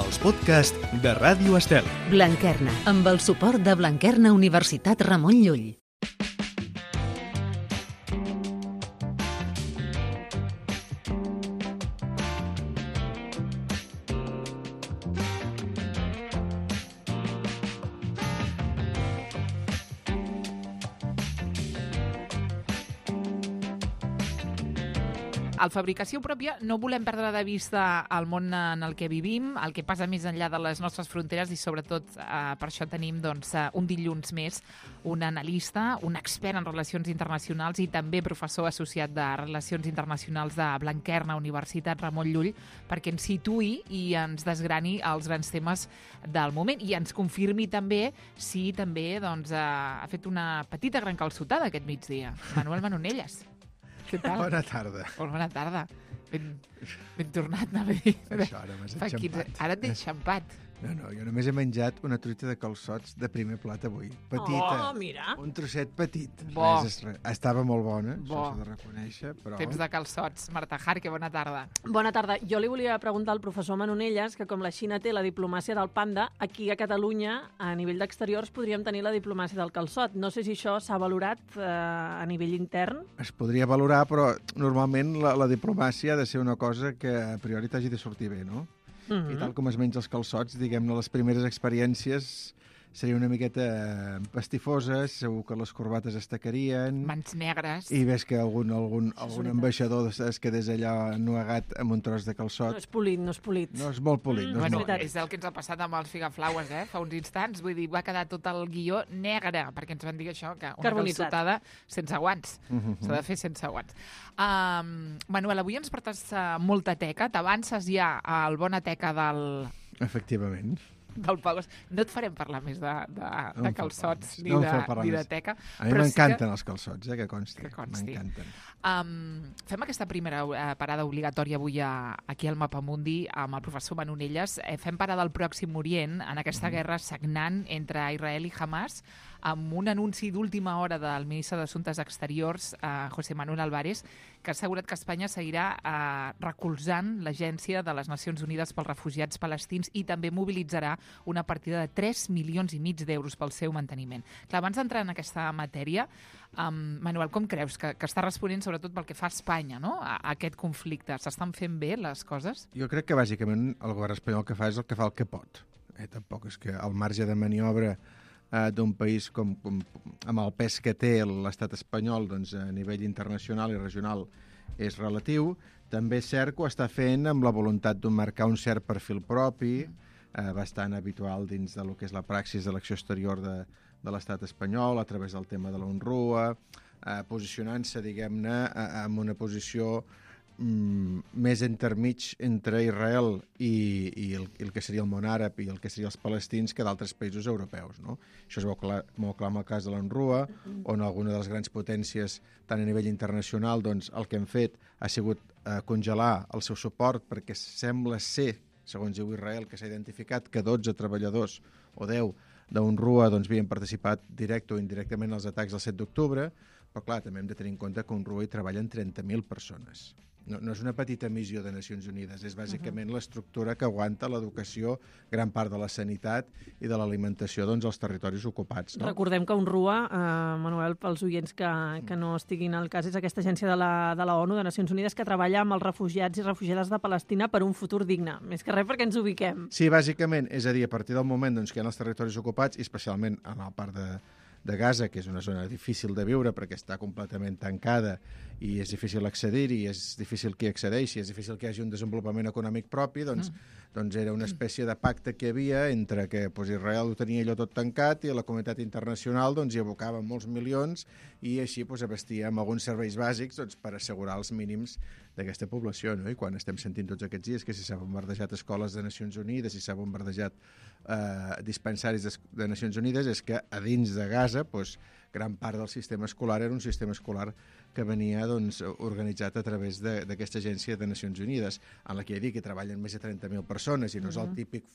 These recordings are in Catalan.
els podcasts de Ràdio Estel. Blanquerna, amb el suport de Blanquerna Universitat Ramon Llull. Al Fabricació Pròpia no volem perdre de vista el món en el que vivim, el que passa més enllà de les nostres fronteres i sobretot per això tenim un dilluns més un analista, un expert en relacions internacionals i també professor associat de Relacions Internacionals de Blanquerna Universitat Ramon Llull, perquè ens situï i ens desgrani els grans temes del moment i ens confirmi també si també ha fet una petita gran calçotada aquest migdia. Manuel Manonelles. Què tal? Bona tarda. Bona tarda. Ben tornat, anava a dir. Això, ara m'has enxampat. Ara t'he enxampat. No, jo només he menjat una truita de calçots de primer plat avui. Petita. Oh, mira. Un trosset petit. Bo. Estava molt bona, Bo. això s'ha de reconèixer, però... Temps de calçots. Marta Jarque, bona tarda. Bona tarda. Jo li volia preguntar al professor Manonelles que com la Xina té la diplomàcia del panda, aquí a Catalunya, a nivell d'exteriors, podríem tenir la diplomàcia del calçot. No sé si això s'ha valorat a nivell intern. Es podria valorar, però normalment la diplomàcia ha de ser una cosa que a priori t'hagi de sortir bé, no? I tal com es menja els calçots, diguem-ne, les primeres experiències serien una miqueta pastifoses, segur que les corbates es tacarien... Mans negres. I ves que algun ambaixador es quedés allà ennuegat amb un tros de calçot. No és polit, no és polit. No és molt polit. No és Bueno, molt polit. és el que ens ha passat amb els figaflaues, fa uns instants. Vull dir, va quedar tot el guió negre, perquè ens van dir això, que una calçotada sense guants. S'ha de fer sense guants. Manuel, avui ens portes molta teca. T'avances ja al bona teca del Pau. No et farem parlar més de calçots ni de teca. A mi m'encanten els calçots, que consti. M'encanten. Fem aquesta primera parada obligatòria avui aquí al Mapamundi amb el professor Manonelles. Fem parada al Pròxim Orient, en aquesta guerra sagnant entre Israel i Hamas, amb un anunci d'última hora del ministre d'Assumptes Exteriors, José Manuel Álvarez, que ha assegurat que Espanya seguirà recolzant l'Agència de les Nacions Unides pels Refugiats Palestins i també mobilitzarà una partida de 3,5 milions d'euros pel seu manteniment. Clar, abans d'entrar en aquesta matèria, Manuel, com creus que està responent sobretot pel que fa a Espanya, no? A aquest conflicte? S'estan fent bé les coses? Jo crec que bàsicament el govern espanyol que fa és el que fa el que pot. Tampoc és que el marge de maniobra d'un país amb el pes que té l'estat espanyol doncs, a nivell internacional i regional és relatiu. També és cert que ho està fent amb la voluntat de marcar un cert perfil propi, bastant habitual dins del que és la praxis de l'acció exterior de l'estat espanyol, a través del tema de la UNRWA, posicionant-se, diguem-ne, en una posició més entremig entre Israel i el que seria el món àrab i el que serien els palestins que d'altres països europeus, no? Això es veu molt clar en el cas de l'UNRWA, on alguna de les grans potències, tant a nivell internacional, doncs el que han fet ha sigut congelar el seu suport perquè sembla ser, segons diu Israel, que s'ha identificat que 12 treballadors o 10 d'UNRWA doncs, havien participat directe o indirectament als atacs del 7 d'octubre, però clar, també hem de tenir en compte que a UNRWA hi treballen 30.000 persones. No és una petita missió de Nacions Unides, és bàsicament l'estructura que aguanta l'educació, gran part de la sanitat i de l'alimentació doncs, als territoris ocupats. No? Recordem que UNRWA, Manuel, pels oients que no estiguin al cas, és aquesta agència de la ONU, de Nacions Unides, que treballa amb els refugiats i refugiades de Palestina per un futur digne. Més que res perquè ens ubiquem. Sí, bàsicament, és a dir, a partir del moment doncs, que hi ha els territoris ocupats, i especialment en la part de Gaza, que és una zona difícil de viure perquè està completament tancada i és difícil accedir-hi, és difícil que hi accedeixi, és difícil que hi hagi un desenvolupament econòmic propi, doncs era una espècie de pacte que hi havia entre que Israel ho tenia allò tot tancat i la comunitat internacional hi abocava molts milions i així abastia amb alguns serveis bàsics per assegurar els mínims d'aquesta població. No? I quan estem sentint tots aquests dies que si s'ha bombardejat escoles de Nacions Unides, si s'ha bombardejat dispensaris de Nacions Unides, és que a dins de Gaza gran part del sistema escolar era un sistema escolar que venia organitzat a través d'aquesta agència de Nacions Unides, en la que hi treballen més de 30.000 persones i no és el típic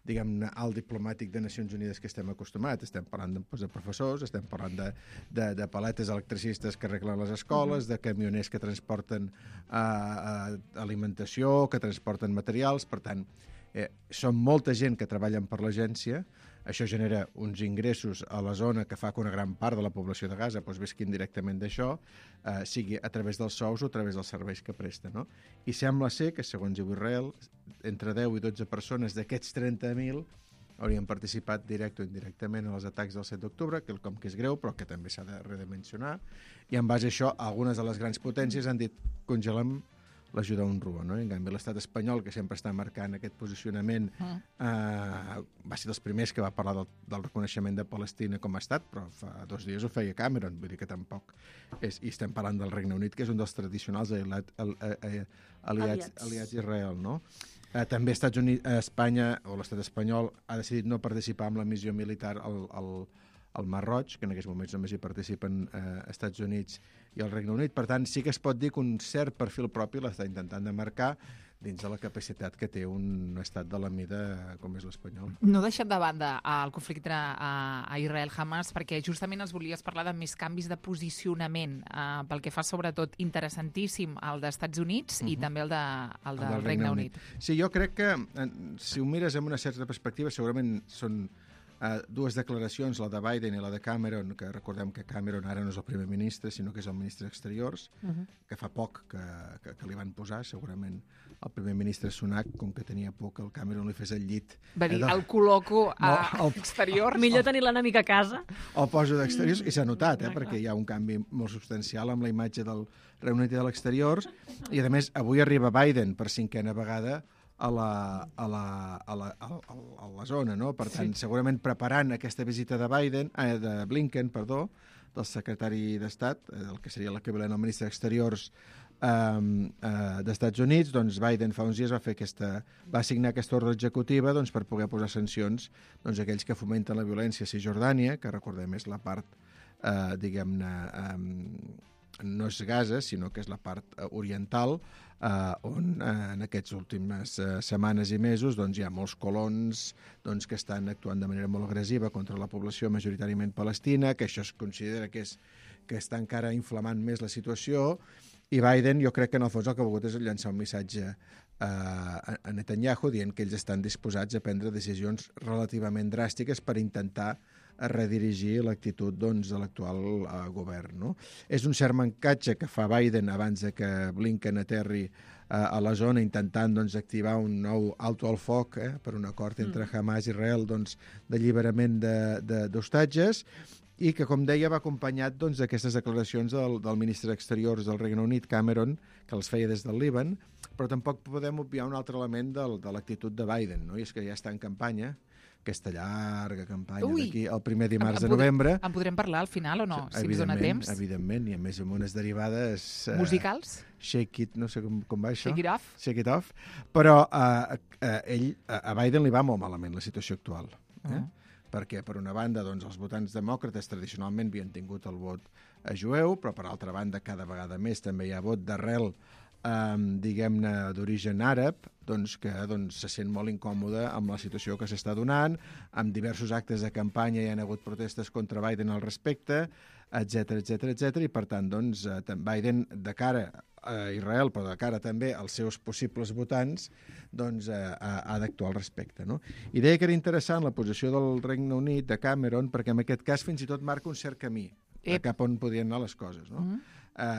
diguem-ne, alt diplomàtic de Nacions Unides que estem acostumats. Estem parlant de professors, estem parlant de paletes electricistes que arreglen les escoles, de camioners que transporten alimentació, que transporten materials. Per tant, Són molta gent que treballen per l'agència, això genera uns ingressos a la zona que fa que una gran part de la població de Gaza visquin directament d'això, sigui a través dels sous o a través dels serveis que presta. No? I sembla ser que, segons diu Israel, entre 10 i 12 persones d'aquests 30.000 haurien participat directe o indirectament en els atacs del 7 d'octubre, quelcom que és greu, però que també s'ha de redimensionar. I en base a això, algunes de les grans potències han dit congelem l'ajuda a UNRWA, no? En canvi, l'estat espanyol, que sempre està marcant aquest posicionament, va ser dels primers que va parlar del reconeixement de Palestina com a estat, però fa 2 dies ho feia Cameron, vull dir que tampoc és... I estem parlant del Regne Unit, que és un dels tradicionals aliats d'Israel, no? També Estats Units, Espanya, o l'estat espanyol, ha decidit no participar en la missió militar al Mar Roig, que en aquests moments només hi participen Estats Units i el Regne Unit. Per tant, sí que es pot dir que un cert perfil propi l'està intentant de marcar dins de la capacitat que té un estat de la mida com és l'espanyol. No deixem de banda el conflicte a Israel-Hamas, perquè justament els volies parlar de més canvis de posicionament, pel que fa sobretot interessantíssim el d'Estats Units i també el del Regne Unit. Sí, jo crec que si ho mires amb una certa perspectiva, segurament són dues declaracions, la de Biden i la de Cameron, que recordem que Cameron ara no és el primer ministre, sinó que és el ministre d'Exteriors, que fa poc que li van posar, segurament el primer ministre Sunak, com que tenia por que el Cameron li fes el llit. Va dir, el col·loco a Exteriors. Millor tenir l'enemic a casa. El poso d'Exteriors, i s'ha notat, perquè hi ha un canvi molt substancial amb la imatge del Regne Unit i de l'Exteriors, i a més, avui arriba Biden per 5a vegada a la zona, no? Per tant, segurament preparant aquesta visita de Blinken, del secretari d'Estat, el que seria l'equivalent al ministre d'Exteriors d'Estats Units, doncs Biden fa uns dies va signar aquesta ordre executiva per poder posar sancions a aquells que fomenten la violència a Cisjordània, que recordem és la part, diguem-ne, no és Gaza, sinó que és la part oriental, on en aquestes últimes setmanes i mesos hi ha molts colons que estan actuant de manera molt agressiva contra la població majoritàriament palestina, que això es considera que està encara inflamant més la situació, i Biden jo crec que en el fons el que ha volgut és llançar un missatge a Netanyahu dient que ells estan disposats a prendre decisions relativament dràstiques per intentar redirigir l'actitud de l'actual govern. No? És un cert mancatge que fa Biden abans que Blinken aterri a la zona intentant activar un nou alto al foc per un acord entre Hamas i Israel d'alliberament d'hostatges, i que, com deia, va acompanyat d'aquestes declaracions del ministre d'Exteriors del Regne Unit, Cameron, que els feia des del Líban, però tampoc podem obviar un altre element de l'actitud de Biden, no? I és que ja està en campanya, aquesta llarga campanya d'aquí el primer dimarts de novembre. En podrem parlar al final o no, si ens dona temps? Evidentment, i a més amb unes derivades... Musicals? Shake it, no sé com va això. Shake it off? Shake it off. Però a Biden li va molt malament la situació actual. Perquè, per una banda, els votants demòcrates tradicionalment havien tingut el vot jueu, però, per altra banda, cada vegada més també hi ha vot d'arrel, diguem-ne, d'origen àrab, que se sent molt incòmode amb la situació que s'està donant, amb diversos actes de campanya hi ha hagut protestes contra Biden al respecte, etc. I, per tant, Biden, de cara a Israel, però de cara també als seus possibles votants, ha d'actuar al respecte. No? I deia que era interessant la posició del Regne Unit, de Cameron, perquè en aquest cas fins i tot marca un cert camí cap on podien anar les coses. No?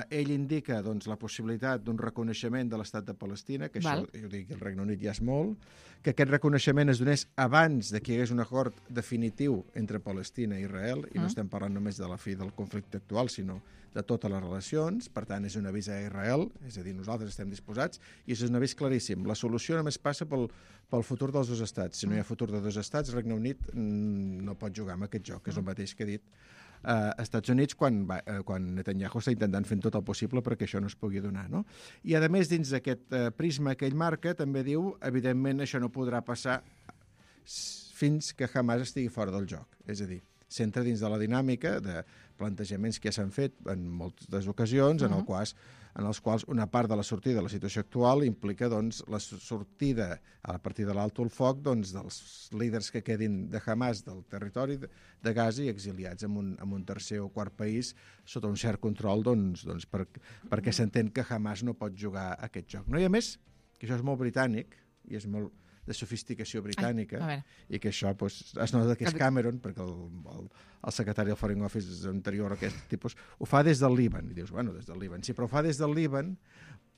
Ell indica la possibilitat d'un reconeixement de l'estat de Palestina, que això, jo dic, el Regne Unit ja és molt, que aquest reconeixement es donés abans que hi hagués un acord definitiu entre Palestina i Israel, i no estem parlant només de la fi del conflicte actual, sinó de totes les relacions. Per tant, és un avís a Israel, és a dir, nosaltres estem disposats, i és un avís claríssim. La solució només passa pel futur dels dos estats. Si no hi ha futur de dos estats, el Regne Unit no pot jugar amb aquest joc, és el mateix que ha dit Estats Units quan Netanyahu està intentant fer tot el possible perquè això no es pugui donar. No? I, a més, dins d'aquest prisma que ell marca, també diu, evidentment, això no podrà passar fins que Hamas estigui fora del joc. És a dir, s'entra dins de la dinàmica de plantejaments que ja s'han fet en moltes ocasions, en els quals una part de la sortida de la situació actual implica la sortida a partir de l'alto al foc dels líders que quedin de Hamas del territori de Gaza i exiliats en un tercer o quart país sota un cert control perquè s'entén que Hamas no pot jugar aquest joc. No? I a més, que això és molt britànic i és molt de sofisticació britànica, a veure. i que això es nota que és Cameron, perquè el secretari del Foreign Office anterior a aquest tipus ho fa des del Líban. I dius, bueno, des del Líban. Sí, però ho fa des del Líban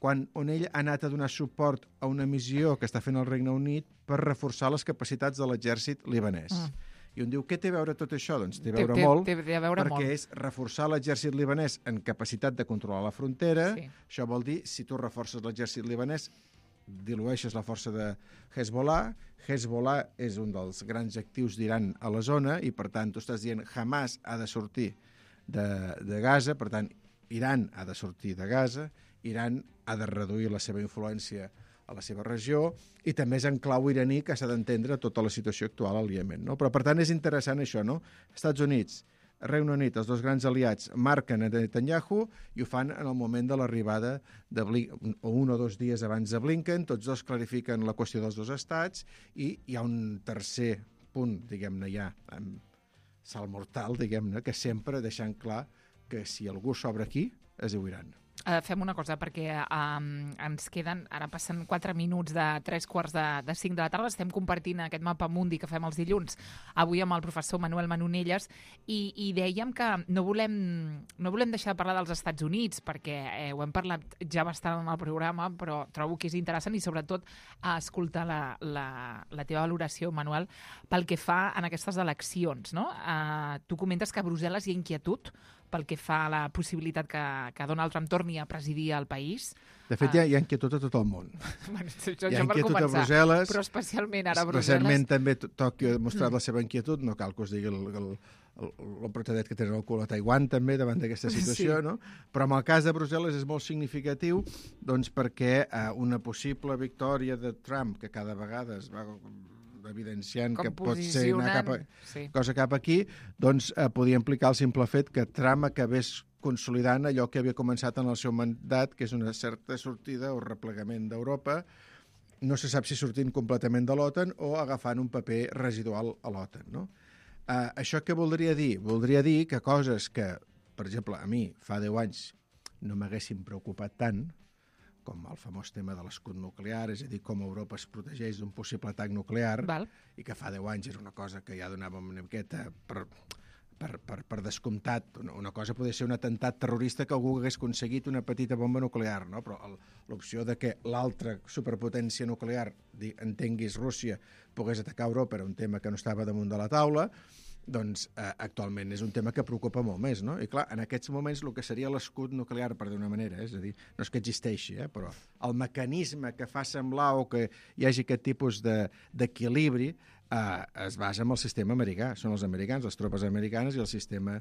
on ell ha anat a donar suport a una missió que està fent el Regne Unit per reforçar les capacitats de l'exèrcit libanès. I on diu, què té a veure tot això? Doncs té a veure molt, perquè és reforçar l'exèrcit libanès en capacitat de controlar la frontera. Sí. Això vol dir, si tu reforces l'exèrcit libanès, dilueixes la força de Hezbollah. Hezbollah és un dels grans actius d'Iran a la zona i, per tant, tu estàs dient Hamas ha de sortir de Gaza, per tant, Iran ha de sortir de Gaza, Iran ha de reduir la seva influència a la seva regió, i també és en clau iraní que s'ha d'entendre tota la situació actual al Iemen. No? Però, per tant, és interessant això, no? Estats Units, Regne Unit, els dos grans aliats, marquen a Netanyahu i ho fan en el moment de l'arribada de Blinken, o 1 o 2 dies abans de Blinken. Tots dos clarifiquen la qüestió dels dos estats i hi ha un tercer punt, diguem-ne ja, salt mortal, diguem-ne, que sempre deixant clar que si algú s'obre aquí, es diu Iran. Fem una cosa, perquè ens queden, ara passen 4 minuts de 3:45 de la tarda, estem compartint aquest mapa mundi que fem els dilluns, avui amb el professor Manuel Manonelles, i dèiem que no volem deixar de parlar dels Estats Units, perquè ho hem parlat ja bastant en el programa, però trobo que és interessant i sobretot escoltar la teva valoració, Manuel, pel que fa en aquestes eleccions. No? Tu comentes que a Brussel·les hi ha inquietud pel que fa a la possibilitat que Donald Trump torni a presidir el país. De fet, hi ha inquietud a tot el món. Bueno, hi ha inquietud a Brussel·les, però especialment ara a Brussel·les. Recentment també Tòquio ha demostrat la seva inquietud, no cal que us digui l'emprotadet que tenen el cul a Taiwan també davant d'aquesta situació, sí. No? Però en el cas de Brussel·les és molt significatiu doncs, perquè una possible victòria de Trump, que cada vegada es va evidenciant que pot ser anar cosa cap aquí, doncs podia implicar el simple fet que Trump acabés consolidant allò que havia començat en el seu mandat, que és una certa sortida o replegament d'Europa, no se sap si sortint completament de l'OTAN o agafant un paper residual a l'OTAN. No? Això què voldria dir? Voldria dir que coses que, per exemple, a mi fa 10 anys no m'haguessin preocupat tant, com el famós tema de l'escut nuclear, és a dir, com Europa es protegeix d'un possible atac nuclear, i que fa 10 anys era una cosa que ja donàvem una miqueta per descomptat. Una cosa podria ser un atemptat terrorista que algú hagués aconseguit una petita bomba nuclear, no? Però l'opció de que l'altra superpotència nuclear, entenguis Rússia, pogués atacar Europa era un tema que no estava damunt de la taula, doncs actualment és un tema que preocupa molt més, no? I clar, en aquests moments el que seria l'escut nuclear, per d'una manera, és a dir, no és que existeixi, però el mecanisme que fa semblar o que hi hagi aquest tipus d'equilibri es basa en el sistema americà. Són els americans, les tropes americanes i el sistema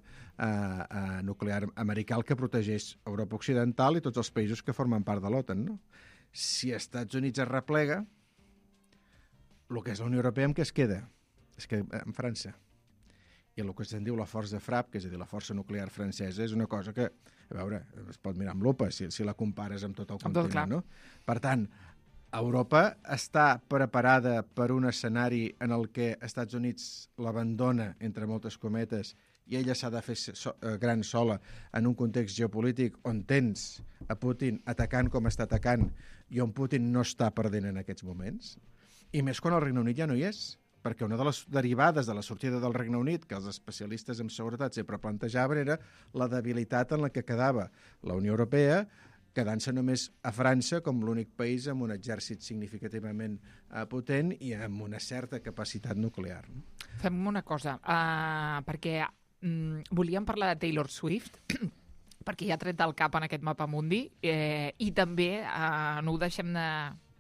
nuclear americà el que protegeix Europa Occidental i tots els països que formen part de l'OTAN, no? Si els Estats Units es replega, el que és la Unió Europea, amb què es queda? Es queda en França. I el que se'n diu la força FRAP, que és a dir, la força nuclear francesa, és una cosa que, a veure, es pot mirar amb lupa si la compares amb tot el continent, no? Per tant, Europa està preparada per un escenari en el que Estats Units l'abandona, entre moltes cometes, i ella s'ha de fer gran sola en un context geopolític on tens a Putin atacant com està atacant i on Putin no està perdent en aquests moments. I més quan el Regne Unit ja no hi és, perquè una de les derivades de la sortida del Regne Unit, que els especialistes en seguretat sempre plantejaven, era la debilitat en la que quedava la Unió Europea, quedant-se només a França com l'únic país amb un exèrcit significativament potent i amb una certa capacitat nuclear. No? Fem una cosa, perquè volíem parlar de Taylor Swift, perquè ja ha tret del cap en aquest mapa mundi, i també no ho deixem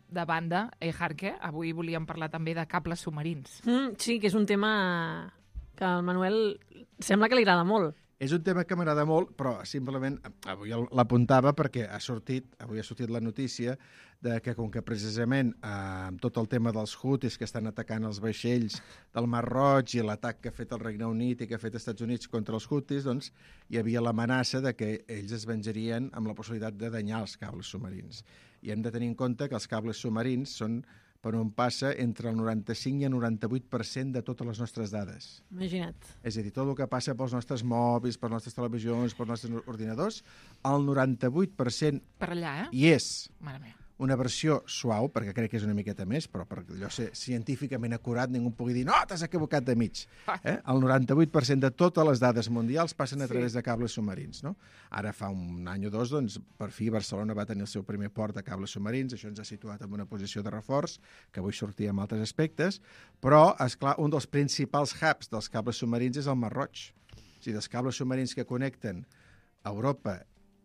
de banda, Jarque, avui volíem parlar també de cables submarins. Sí, que és un tema que al Manuel sembla que li agrada molt. És un tema que m'agrada molt, però simplement avui l'apuntava perquè avui ha sortit la notícia de que com que precisament amb tot el tema dels Houthis que estan atacant els vaixells del Mar Roig i l'atac que ha fet el Regne Unit i que ha fet els Estats Units contra els Houthis, doncs hi havia l'amenaça de que ells es venjarien amb la possibilitat de danyar els cables submarins. I hem de tenir en compte que els cables submarins són per on passa entre el 95 i el 98% de totes les nostres dades. Imagina't. És a dir, tot el que passa pels nostres mòbils, per les nostres televisions, pels nostres ordinadors, el 98% per allà, hi és. Mare meva. una versió suau, perquè crec que és una miqueta més, però per allò ser científicament acurat ningú pugui dir no, t'has equivocat de mig. El 98% de totes les dades mundials passen a través de cables submarins. No? Ara fa un any o dos, doncs, per fi Barcelona va tenir el seu primer port de cables submarins, això ens ha situat en una posició de reforç, que avui sortia en altres aspectes, però, esclar, un dels principals hubs dels cables submarins és el Mar Roig. O sigui, dels cables submarins que connecten Europa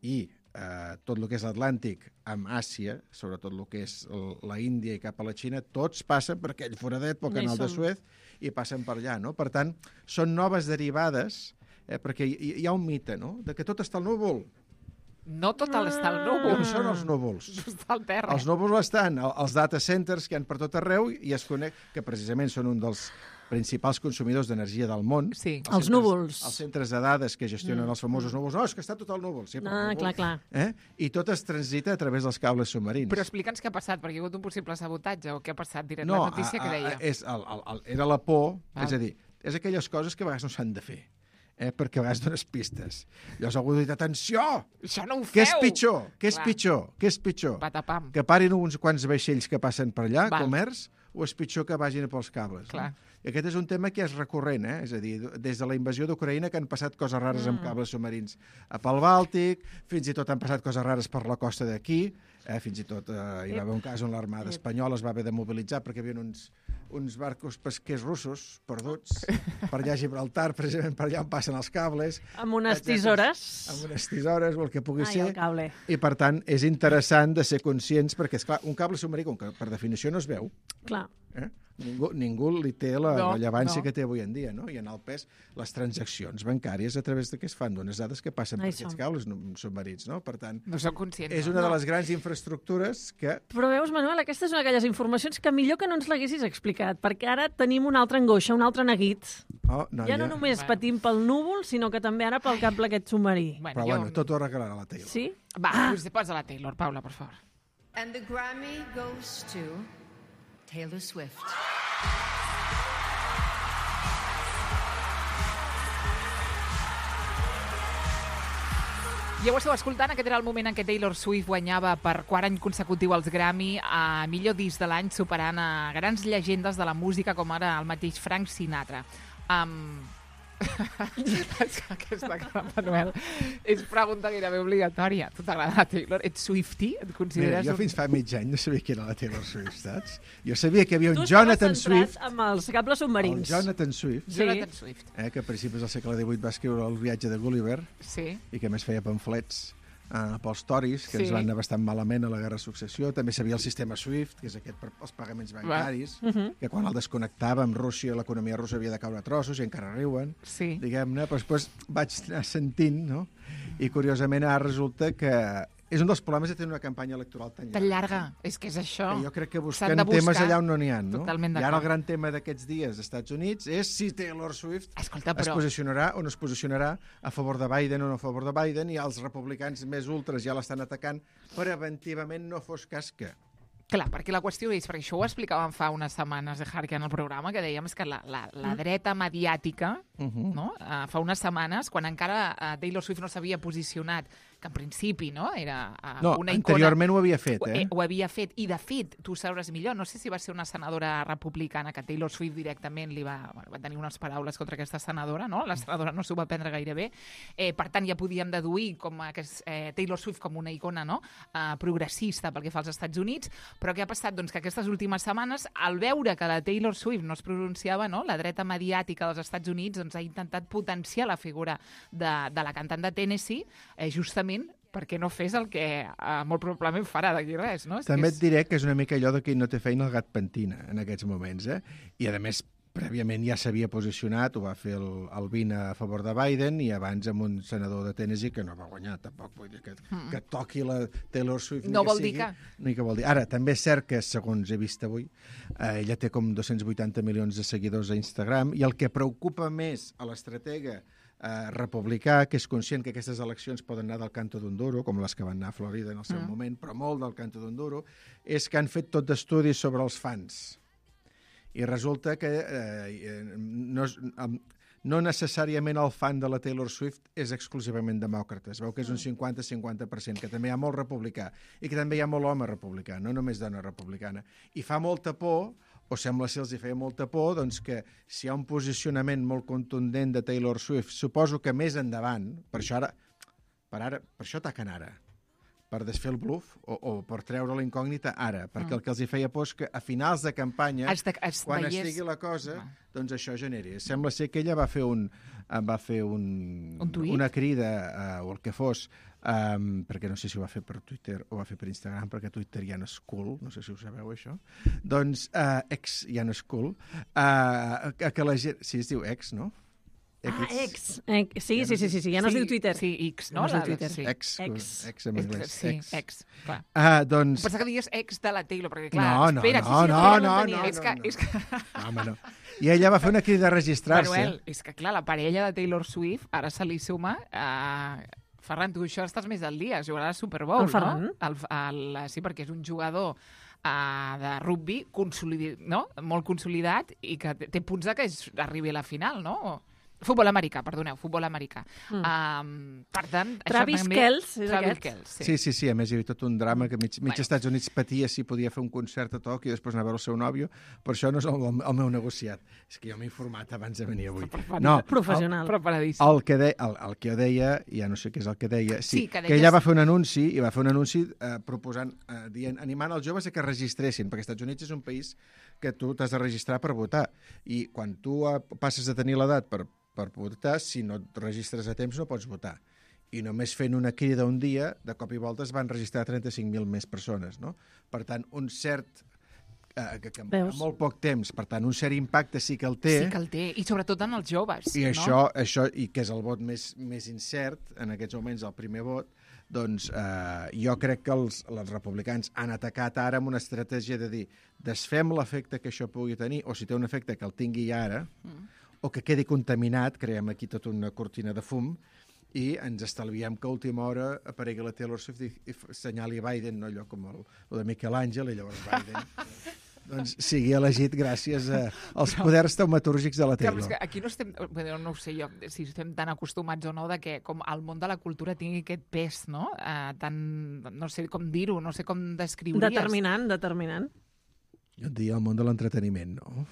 i tot el que és l'Atlàntic amb Àsia, sobretot el que és la Índia i cap a la Xina, tots passen per aquell foradet, pel canal de Suez, i passen per allà. No? Per tant, són noves derivades, perquè hi ha un mite, no?, de que tot està al núvol. No tot està al núvol. On són els núvols? Està al terra. Els núvols estan als data centers que hi ha per tot arreu i es conec, que precisament són un dels principals consumidors d'energia del món. Sí. Els núvols. Els centres de dades que gestionen els famosos núvols. No, és que està tot al núvol. Sí, clar. I tot es transita a través dels cables submarins. Però explica'ns què ha passat, perquè hi ha hagut un possible sabotatge, o què ha passat directe la notícia que deia. Era la por, és a dir, és aquelles coses que a vegades no s'han de fer. Perquè a vegades dones pistes. Llavors algú ha dit, atenció! Això no ho feu! Què és pitjor? Què és pitjor? Patapam. Que parin uns quants vaixells que passen per allà, comerç, o és pitjor que vagin pels cables? Clar. No? I aquest és un tema que és recurrent, és a dir, des de la invasió d'Ucraïna que han passat coses rares amb cables submarins pel Bàltic, fins i tot han passat coses rares per la costa d'aquí, fins i tot hi va haver un cas on l'Armada espanyola es va haver de mobilitzar perquè hi havia uns barcos pesquers russos perduts per allà a Gibraltar, precisament per allà on passen els cables. Amb unes tisores. Amb unes tisores o el que pugui ser. El cable. I, per tant, és interessant de ser conscients perquè, esclar, un cable submarí, com que per definició no es veu, clar. Ningú li té la rellevància que té avui en dia, no? I en el pes, les transaccions bancàries a través de què es fan, d'unes dades que passen per aquests cables submarins, no? Per tant, no som conscients, és una de les grans infraestructures que... Però veus, Manuel, aquesta és una d'aquelles informacions que millor que no ens l'haguessis explicat, perquè ara tenim una altra angoixa, un altre neguit. Ja no només patim pel núvol, sinó que també ara pel cable aquest submarí. Però bueno, tot ho arreglarà la Taylor. Sí? Va, posa la Taylor, Paula, per favor. And the Grammy goes to Taylor Swift. Ja ho esteu escoltant, aquest era el moment en què Taylor Swift guanyava per quart any consecutiu els Grammy a millor disc de l'any, superant a grans llegendes de la música com ara el mateix Frank Sinatra. Aquesta cara, Manuel, és pregunta gairebé obligatòria. Tu t'agrada la Taylor? Ets Swiftie? Et consideres... Mira, jo fins fa mig any no sabia qui era la Taylor Swift, saps? Jo sabia que hi havia un Jonathan Swift... amb els cables submarins. El Jonathan Swift. Sí. Jonathan Swift. Que a principis del segle XVIII va escriure El viatge de Gulliver. Sí. I que més feia pamflets pels toris, que ens van anar bastant malament a la Guerra de Successió. També sabia el sistema SWIFT, que és aquest per als pagaments bancaris, que quan el desconnectava amb Rússia, l'economia russa havia de caure a trossos i encara riuen, diguem-ne. Però després vaig anar sentint, no? I curiosament ara resulta que és un dels problemes de tenir una campanya electoral tan llarga. És que és això. Que jo crec que busquen temes allà on no n'hi ha, no? Totalment I ara el gran tema d'aquests dies als Estats Units és si Taylor Swift es posicionarà o no es posicionarà a favor de Biden o no a favor de Biden, i els republicans més ultres ja l'estan atacant preventivament, no fos cas que... Clar, perquè la qüestió és, perquè això ho explicàvem fa unes setmanes de Harker en el programa, que dèiem que la dreta mediàtica, no? Fa unes setmanes, quan encara Taylor Swift no s'havia posicionat, que en principi no era una icona... Anteriorment ho havia fet, Ho havia fet, i de fet, tu sabràs millor, no sé si va ser una senadora republicana que Taylor Swift directament va tenir unes paraules contra aquesta senadora, no? La senadora no s'ho va prendre gaire bé. Per tant, ja podíem deduir com Taylor Swift com una icona, no? Progressista pel que fa als Estats Units, però què ha passat? Doncs que aquestes últimes setmanes, al veure que la Taylor Swift no es pronunciava, no? La dreta mediàtica dels Estats Units doncs, ha intentat potenciar la figura de la cantant de Tennessee, justament perquè no fes el que molt probablement farà d'aquí res, no? També et diré que és una mica allò de que no té feina el gat pentina en aquests moments, I a més, prèviament ja s'havia posicionat, ho va fer el Vin a favor de Biden, i abans amb un senador de Tennessee que no va guanyar, tampoc vull dir que toqui la Taylor Swift. No vol dir que... Ni que vol dir. Ara, també és cert que, segons he vist avui, ella té com 280 milions de seguidors a Instagram, i el que preocupa més a l'estratega republicà, que és conscient que aquestes eleccions poden anar del canto d'un duro, com les que van anar a Florida en el seu moment, però molt del canto d'un duro, és que han fet tot d'estudis sobre els fans. I resulta que no necessàriament el fan de la Taylor Swift és exclusivament demòcrata. Es veu que és un 50-50%, que també hi ha molt republicà i que també hi ha molt home republicà, no només dona republicana. I fa molta por, o sembla ser els hi feia molta por, doncs que si hi ha un posicionament molt contundent de Taylor Swift, suposo que més endavant, per això ataquen ara, per desfer el bluff o per treure la incògnita ara, perquè el que els hi feia por és que a finals de campanya, quan estigui la cosa, doncs això generi. Sembla ser que ella va fer una crida, o el que fos, perquè no sé si ho va fer per Twitter o va fer per Instagram, perquè Twitter ja no és cool, no sé si ho sabeu, això. Doncs, ex ja no és cool, que la gent... Sí, es diu ex, no? Ex. Sí, ja no es diu Twitter. Sí, X, no? No es diu Twitter. Sí. Ex en anglès. Sí, ex, clar. Doncs... Pensava que digues ex de la Taylor, perquè clar, No. És que... No, home, no. I ella va fer una crida a registrar-se. Manuel, és que clar, la parella de Taylor Swift ara se li suma... Ferran, tu això estàs més al dia, jugarà al Super Bowl, el Ferran? no? Sí, perquè és un jugador de rugby molt consolidat i que té punts de que arribi a la final, no? Futbol americà, perdoneu, futbol americà. Per tant... Travis Kelce, és Travis aquest? Kelce, Sí, a més hi havia tot un drama que mig Estats Units patia si podia fer un concert a Tòquio i després anar a veure el seu nòvio, per això no és el meu negociat. És que jo m'he informat abans de venir avui. No, professional. Preparadíssim. el que jo deia, ja no sé què és el que deia, sí, que que ella va fer un anunci, i va fer un anunci proposant, animant els joves a que registressin, perquè als Estats Units és un país que tu t'has de registrar per votar, i quan tu passes a tenir l'edat per votar, si no et registres a temps no pots votar. I només fent una crida un dia, de cop i volta es van registrar 35.000 més persones, no? Per tant, un cert... en molt poc temps, per tant, un cert impacte sí que el té. Sí que el té, i sobretot en els joves. I no? això, i que és el vot més incert, en aquests moments el primer vot, doncs jo crec que els republicans han atacat ara amb una estratègia de dir desfem l'efecte que això pugui tenir, o si té un efecte que el tingui ara, o que quedi contaminat, creem aquí tota una cortina de fum, i ens estalviem que a última hora aparegui la Taylor Swift i senyali Biden, no allò com el de Miquel Àngel, i llavors Biden doncs sigui elegit gràcies als poders taumatúrgics de la Taylor. Clar, és que aquí no estem, no ho sé jo, si estem tan acostumats o no, de que com el món de la cultura tingui aquest pes, no? No sé com dir-ho, no sé com descriuries. Determinant. Jo et diria el món de l'entreteniment, no?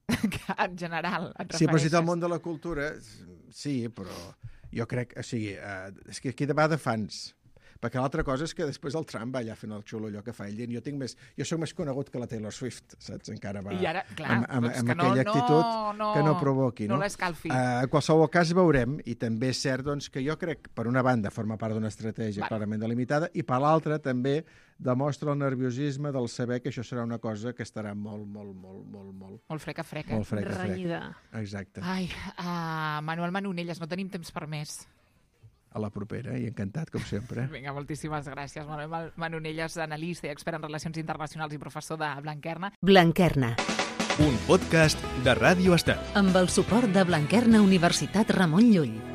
En general, et refereixes. Sí, però si té el món de la cultura, sí, però jo crec... O sigui, és que aquí va de fans. Perquè l'altra cosa és que després el Trump va allà fent el xulo allò que fa ell, dient jo soc més conegut que la Taylor Swift, saps? Encara va I ara, clar, amb aquella actitud que no provoqui, no? No l'escalfi. En qualsevol cas veurem, i també és cert doncs, que jo crec, per una banda, forma part d'una estratègia clarament delimitada, i per l'altra també demostra el nerviosisme del saber que això serà una cosa que estarà molt freca. Molt freca. Renyida. Exacte. Ai, Manuel Manonelles, no tenim temps per més. A la propera, i encantat, com sempre. Vinga, moltíssimes gràcies. Manuel Manonelles, analista i expert en relacions internacionals i professor de Blanquerna. Blanquerna, Un podcast de Ràdio Estel. amb el suport de Blanquerna Universitat Ramon Llull.